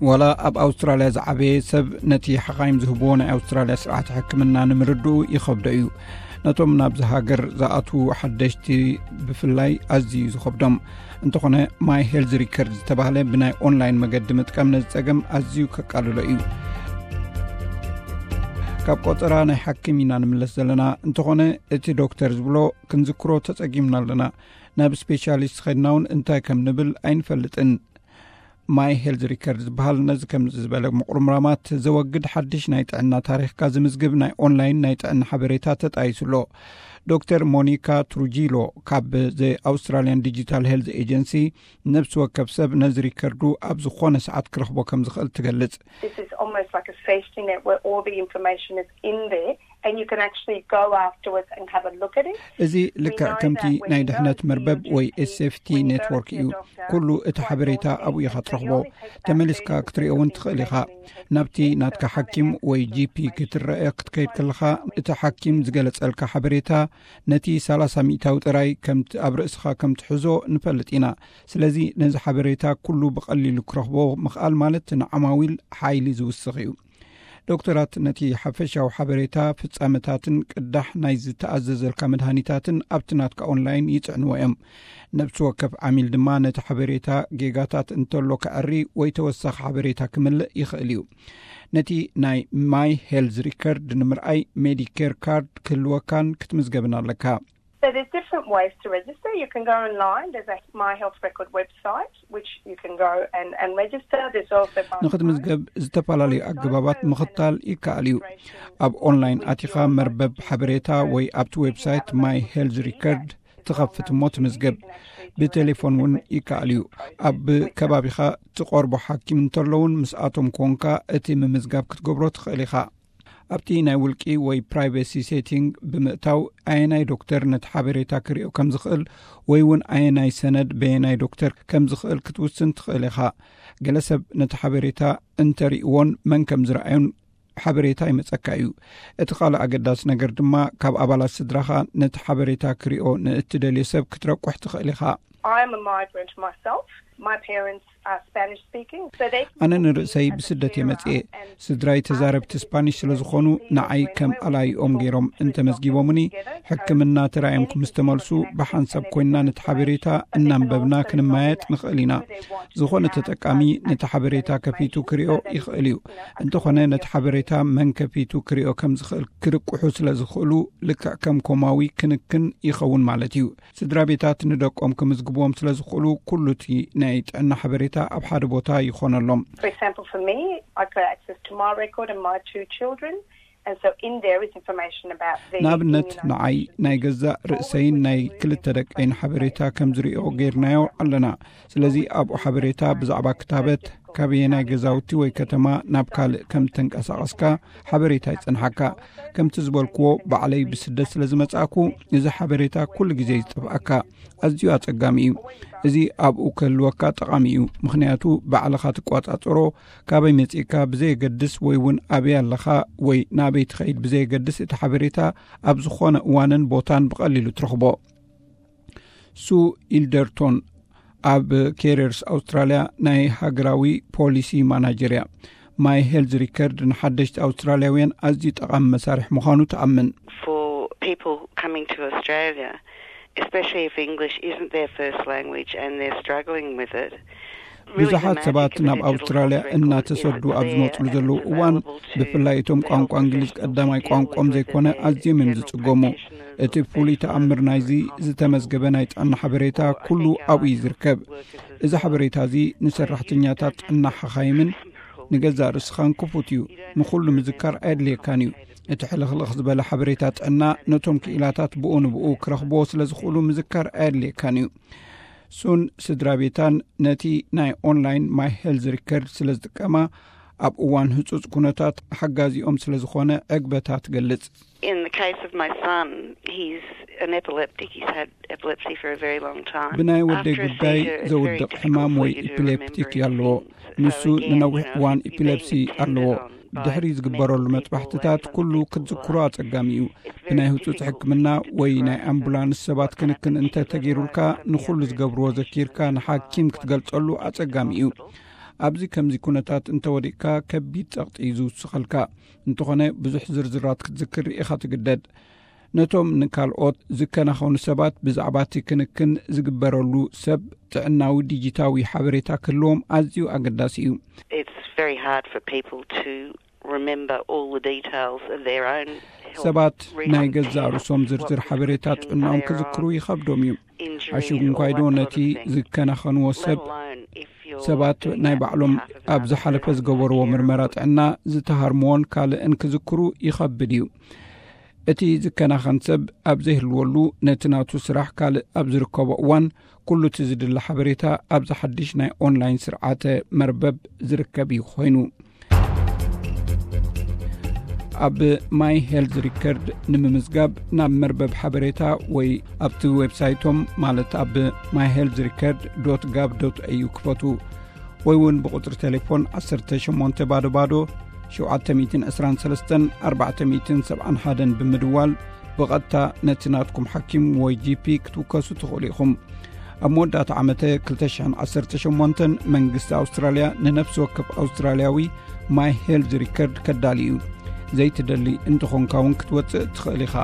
ዋላ ኣብ ኣውስትራልያ ዝዓበየ ሰብ ነቲ ሓኻይም ዝህብዎ ናይ ኣውስትራልያ ስርዓት ሕክምና ንምርድኡ ይኸብዶ እዩ። ነቶም ናብዚ ሃገር ዝኣትዉ ሓደሽቲ ብፍላይ ኣዝዩ እዩ ዝኸብዶም። እንተኾነ፣ ማይ ሄልዝ ሪከርድ ዝተባህለ ብናይ ኦንላይን መገዲ ምጥቃም ነዚ ጸገም ኣዝዩ ከቃልሎ እዩ። ካብ ቆጸራ ናይ ሓኪም ኢና ንምለስ ዘለና። እንተኾነ፣ እቲ ዶክተር ዝብሎ ክንዝክሮ ተጸጊምና ኣለና። ናብ ስፔሻሊስት ኸድና እውን እንታይ ከም ንብል ኣይንፈልጥን። ማይ ሄልዝ ሪከርድ ዝበሃል ነዚ ከምዚ ዝበለ ምቁርምራማት ዘወግድ ሓድሽ ናይ ጥዕና ታሪኽካ ዝምዝግብ ናይ ኦንላይን ናይ ጥዕና ሓበሬታ ተጣይሱ ኣሎ። ዶክተር ሞኒካ ትሩጂሎ ካብ ዘ ኣውስትራሊያን ዲጂታል ሄልዝ ኤጀንሲ፣ ነብሲ ወከፍ ሰብ ነዚ ሪከርዱ ኣብ ዝኾነ ሰዓት ክረኽቦ ከም ዝኽእል ትገልጽ። This is almost like a safety net where all the information is in there and you can actually go afterwards and have a look at it. እዚ ልክዕ ከምቲ ናይ ድሕነት መርበብ ወይ ኤስኤፍቲ ኔትወርክ እዩ። ኩሉ እቲ ሓበሬታ ኣብኡ ኢኻ ትረኽቦ። ተመሊስካ ክትሪኦ እውን ትኽእል ኢኻ። ናብቲ ናትካ ሓኪም ወይ ጂፒ ክትረአ ክትከይድ ከለኻ፣ እቲ ሓኪም ዝገለጸልካ ሓበሬታ ነቲ ሰላሳ ሚእታዊ ጥራይ ከምቲ ኣብ ርእስኻ ከም ትሕዞ ንፈልጥ ኢና። ስለዚ ነዚ ሓበሬታ ኩሉ ብቐሊሉ ክረኽቦ ምኽኣል ማለት ንዓማዊል ሓይሊ ዝውስኽ እዩ። ዶክተራት ነቲ ሓፈሻዊ ሓበሬታ፣ ፍጻመታትን ቅዳሕ ናይ ዝተኣዘዘልካ መድሃኒታትን ኣብቲ ናትካ ኦንላይን ይጽዕንዎ እዮም። ነብሲ ወከፍ ዓሚል ድማ ነቲ ሓበሬታ ጌጋታት እንተሎ ከዐሪ ወይ ተወሳኺ ሓበሬታ ክምልእ ይኽእል እዩ። ነቲ ናይ ማይ ሄልዝ ሪከርድ ንምርኣይ ሜዲኬር ካርድ ክህልወካን ክትምዝገብን ኣለካ። So there's different ways to register. You can go online. There's a My Health Record website, which you can go and, and register. There's also ንክትምዝገብ ዝተፈላለዩ ኣገባባት ምኽታል ይከኣል እዩ። ኣብ ኦንላይን ኣቲኻ መርበብ ሓበሬታ ወይ ኣብቲ ዌብሳይት ማይ ሄልዝ ሪከርድ ትኸፍት እሞ ትምዝገብ። ብቴሌፎን እውን ይከኣል እዩ። ኣብ ከባቢኻ ትቐርቦ ሓኪም እንተለውን ምስኣቶም ኮንካ እቲ ምምዝጋብ ክትገብሮ ትኽእል ኢኻ። ኣብቲ ናይ ውልቂ ወይ ፕራይቬሲ ሴቲንግ ብምእታው ኣየናይ ዶክተር ነቲ ሓበሬታ ክሪኦ ከም ዝኽእል ወይ እውን ኣየናይ ሰነድ በየናይ ዶክተር ከም ዝኽእል ክትውስን ትኽእል ኢኻ። ገለ ሰብ ነቲ ሓበሬታ እንተሪእዎን መን ከም ዝረኣዩን ሓበሬታ ይመጸካ እዩ። እቲ ካልእ ኣገዳሲ ነገር ድማ ካብ ኣባላት ስድራኻ ነቲ ሓበሬታ ክሪኦ ንእትደልዮ ሰብ ክትረቁሕ ትኽእል ኢኻ። I'm a migrant myself. My parents are Spanish speaking, so they ኣነ ንርእሰይ ብስደት እየ መጽኤ። ስድራይ ተዛረብቲ ስፓኒሽ ስለ ዝኾኑ ንዓይ ከም ኣላይኦም ገይሮም እንተመዝጊቦምኒ፣ ሕክምና ተራእዮም ምስ ተመልሱ ብሓንሳብ ኮይንና ነቲ ሓበሬታ እናንበብና ክንመያየጥ ንኽእል ኢና። ዝኾነ ተጠቃሚ ነቲ ሓበሬታ ከፊቱ ክሪኦ ይኽእል እዩ። እንተኾነ ነቲ ሓበሬታ መን ከፊቱ ክሪኦ ከም ዝኽእል ክርቅሑ ስለ ዝኽእሉ፣ ልክዕ ከም ኮማዊ ክንክን ይኸውን ማለት እዩ። ስድራ ቤታት ንደቆም ክምዝግብዎም ስለ ዝኽእሉ፣ ኩሉ እቲ ናይ ጥዕና ሓበሬታ ኣብ ሓደ ቦታ ይኾነሎም። For example, for me, I got access to my record and my two children, and so in there is information about the ንኣብነት ንዓይ ናይ ገዛእ ርእሰይን ናይ ክልተ ደቀይን ሓበሬታ ከም ዝሪኦ ገይርናዮ ኣለና። ስለዚ ኣብኡ ሓበሬታ ብዛዕባ ክታበት፣ ካበየናይ ገዛውቲ ወይ ከተማ ናብ ካልእ ከም ተንቀሳቐስካ ሓበሬታ ይጸንሓካ። ከምቲ ዝበልክዎ ባዕለይ ብስደት ስለ ዝመጻእኩ፣ እዚ ሓበሬታ ኩሉ ግዜ ይጠፍኣካ። ኣዝዩ ኣጸጋሚ እዩ። እዚ ኣብኡ ክህልወካ ጠቓሚ እዩ፣ ምኽንያቱ ባዕልኻ ትቆጻጸሮ። ካበይ መጺእካ ብዘየገድስ ወይ እውን ኣበይ ኣለኻ ወይ ናበይ ትኸይድ ብዘየገድስ፣ እቲ ሓበሬታ ኣብ ዝኾነ እዋንን ቦታን ብቐሊሉ ትረኽቦ። ሱ ኢልደርቶን ኣብ ኬሪርስ ኣውስትራልያ ናይ ሃገራዊ ፖሊሲ ማናጀር እያ። ማይ ሄልዝ ሪከርድ ንሓደሽቲ ኣውስትራልያውያን ኣዝዩ ጠቓሚ መሳርሒ ምዃኑ ትኣምን። For people coming to Australia, especially if English isn't their first language and they're struggling with it, ብዙሓት ሰባት ናብ ኣውስትራልያ እናተሰዱ ኣብ ዝመፅሉ ዘለዉ እዋን፣ ብፍላይ እቶም ቋንቋ እንግሊዝ ቀዳማይ ቋንቋም ዘይኮነ ኣዝዮም እዮም ዝፅገሙ። እቲ ፍሉይ ተኣምር ናይዚ ዝተመዝገበ ናይ ጥዕና ሓበሬታ ኩሉ ኣብኡ እዩ ዝርከብ። እዚ ሓበሬታ እዚ ንሰራሕተኛታት ጥዕና ሓኻይምን ንገዛእ ርእስኻን ክፉት እዩ። ንኹሉ ምዝካር ኣየድልየካን እዩ። እቲ ሕልኽልኽ ዝበለ ሓበሬታ ጥዕና ነቶም ክኢላታት ብኡ ንብኡ ክረኽብዎ ስለ ዝኽእሉ ምዝካር ኣየድልየካን እዩ። ሱን ስድራ ቤታን ነቲ ናይ ኦንላይን ማይ ሄልዝ ሪከርድ ስለ ዝጥቀማ፣ ኣብ እዋን ህጹጽ ኩነታት ሓጋዚኦም ስለ ዝኾነ ዕግበታ ትገልጽ። In the case of my son, he's an epileptic. He's had epilepsy for a very long time. ብናይ ወደይ ጉዳይ ዘውድቕ ሕማም ወይ ኢፒሌፕቲክ ኣለዎ። ንሱ ንነዊሕ እዋን ኢፒሌፕሲ ኣለዎ። ድሕሪ ዝግበረሉ መጥባሕትታት ኩሉ ክትዝክሮ ኣጸጋሚ እዩ። ብናይ ህጹጽ ሕክምና ወይ ናይ ኣምቡላንስ ሰባት ክንክን እንተ ተገይሩልካ፣ ንኹሉ ዝገብርዎ ዘኪርካ ንሓኪም ክትገልጸሉ ኣጸጋሚ እዩ። ኣብዚ ከምዚ ኩነታት እንተወዲቕካ ከቢድ ጸቕጢ እዩ ዝውስኸልካ። እንተኾነ ብዙሕ ዝርዝራት ክትዝክር ኢኻ ትግደድ። ነቶም ንካልኦት ዝከናኸኑ ሰባት ብዛዕባ እቲ ክንክን ዝግበረሉ ሰብ ጥዕናዊ ዲጂታዊ ሓበሬታ ክህልዎም ኣዝዩ ኣገዳሲ እዩ። It's very hard for people to remember all the details of their own health ሰባት ናይ records, ገዛእ ርእሶም ዝርዝር ሓበሬታ ጥዕናኦም ክዝክሩ ይኸብዶም እዩ። ኣሽጉ እንኳይዶ ነቲ ዝከናኸንዎ ሰብ ሰባት ናይ ባዕሎም ኣብ ዝሓለፈ ዝገበርዎ ምርመራ ጥዕና ዝተሃርምዎን ካልእን ክዝክሩ ይኸብድ እዩ። እቲ ዝከናኸን ሰብ ኣብ ዘይህልወሉ ነቲ ናቱ ስራሕ ካልእ ኣብ ዝርከቦ እዋን ኩሉ እቲ ዝድለ ሓበሬታ ኣብዚ ሓድሽ ናይ ኦንላይን ስርዓተ መርበብ ዝርከብ እዩ ኮይኑ። ኣብ ማይ ሄልዝ ሪከርድ ንምምዝጋብ ናብ መርበብ ሓበሬታ ወይ ኣብቲ ዌብሳይቶም ማለት ኣብ ማይ ሄልዝ ሪከርድ ዶት ጋቭ ዶት ኤዩ ክፈቱ ወይ እውን ብቁፅሪ ቴሌፎን ዓሰርተ ሸሞንተ ባዶ ባዶ ሸውዓተ ሚእትን ዕስራን ሰለስተን ኣርባዕተ ሚእትን ሰብዓን ሓደን ብምድዋል ብቐጥታ ነቲ ናትኩም ሓኪም ወይ ጂ ፒ ክትውከሱ ትኽእሉ ኢኹም። ኣብ መወዳእታ ዓመተ ክልተ ሽሕን ዓሰርተ ሸሞንተን መንግስቲ ኣውስትራልያ ንነፍሲ ወከፍ ኣውስትራልያዊ ማይ ሄልዝ ሪከርድ ከዳሊ እዩ። ዘይትደሊ እንተኾንካ እውን ክትወፅእ ትኽእል ኢኻ።